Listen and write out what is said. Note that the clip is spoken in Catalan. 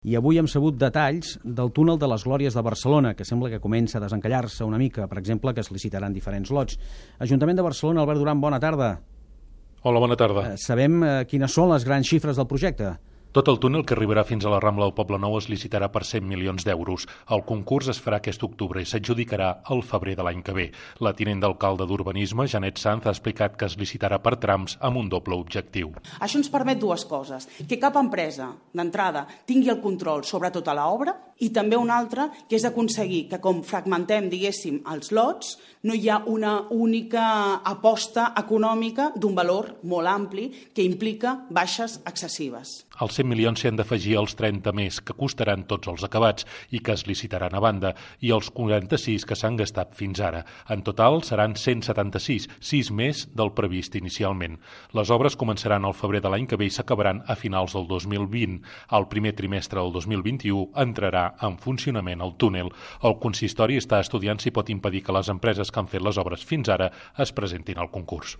I avui hem sabut detalls del túnel de les Glòries de Barcelona, que sembla que comença a desencallar-se una mica. Per exemple, que es licitaran diferents lots. Ajuntament de Barcelona, Albert Duran, bona tarda. Hola, bona tarda. Sabem quines són les grans xifres del projecte? Tot el túnel que arribarà fins a la Rambla del Poblenou es licitarà per 100 milions d'euros. El concurs es farà aquest octubre i s'adjudicarà al febrer de l'any que ve. La tinent d'alcalde d'Urbanisme, Janet Sanz, ha explicat que es licitarà per trams amb un doble objectiu. Això ens permet dues coses. Que cap empresa, d'entrada, tingui el control sobre tota l'obra i també una altra, que és aconseguir que, com fragmentem, diguéssim, els lots, no hi ha una única aposta econòmica d'un valor molt ampli que implica baixes excessives. Els 100 milions s'hi han d'afegir els 30 més, que costaran tots els acabats i que es licitaran a banda, i els 46 que s'han gastat fins ara. En total seran 176, 6 més del previst inicialment. Les obres començaran al febrer de l'any que ve i s'acabaran a finals del 2020. Al primer trimestre del 2021 entrarà en funcionament el túnel. El consistori està estudiant si pot impedir que les empreses que han fet les obres fins ara es presentin al concurs.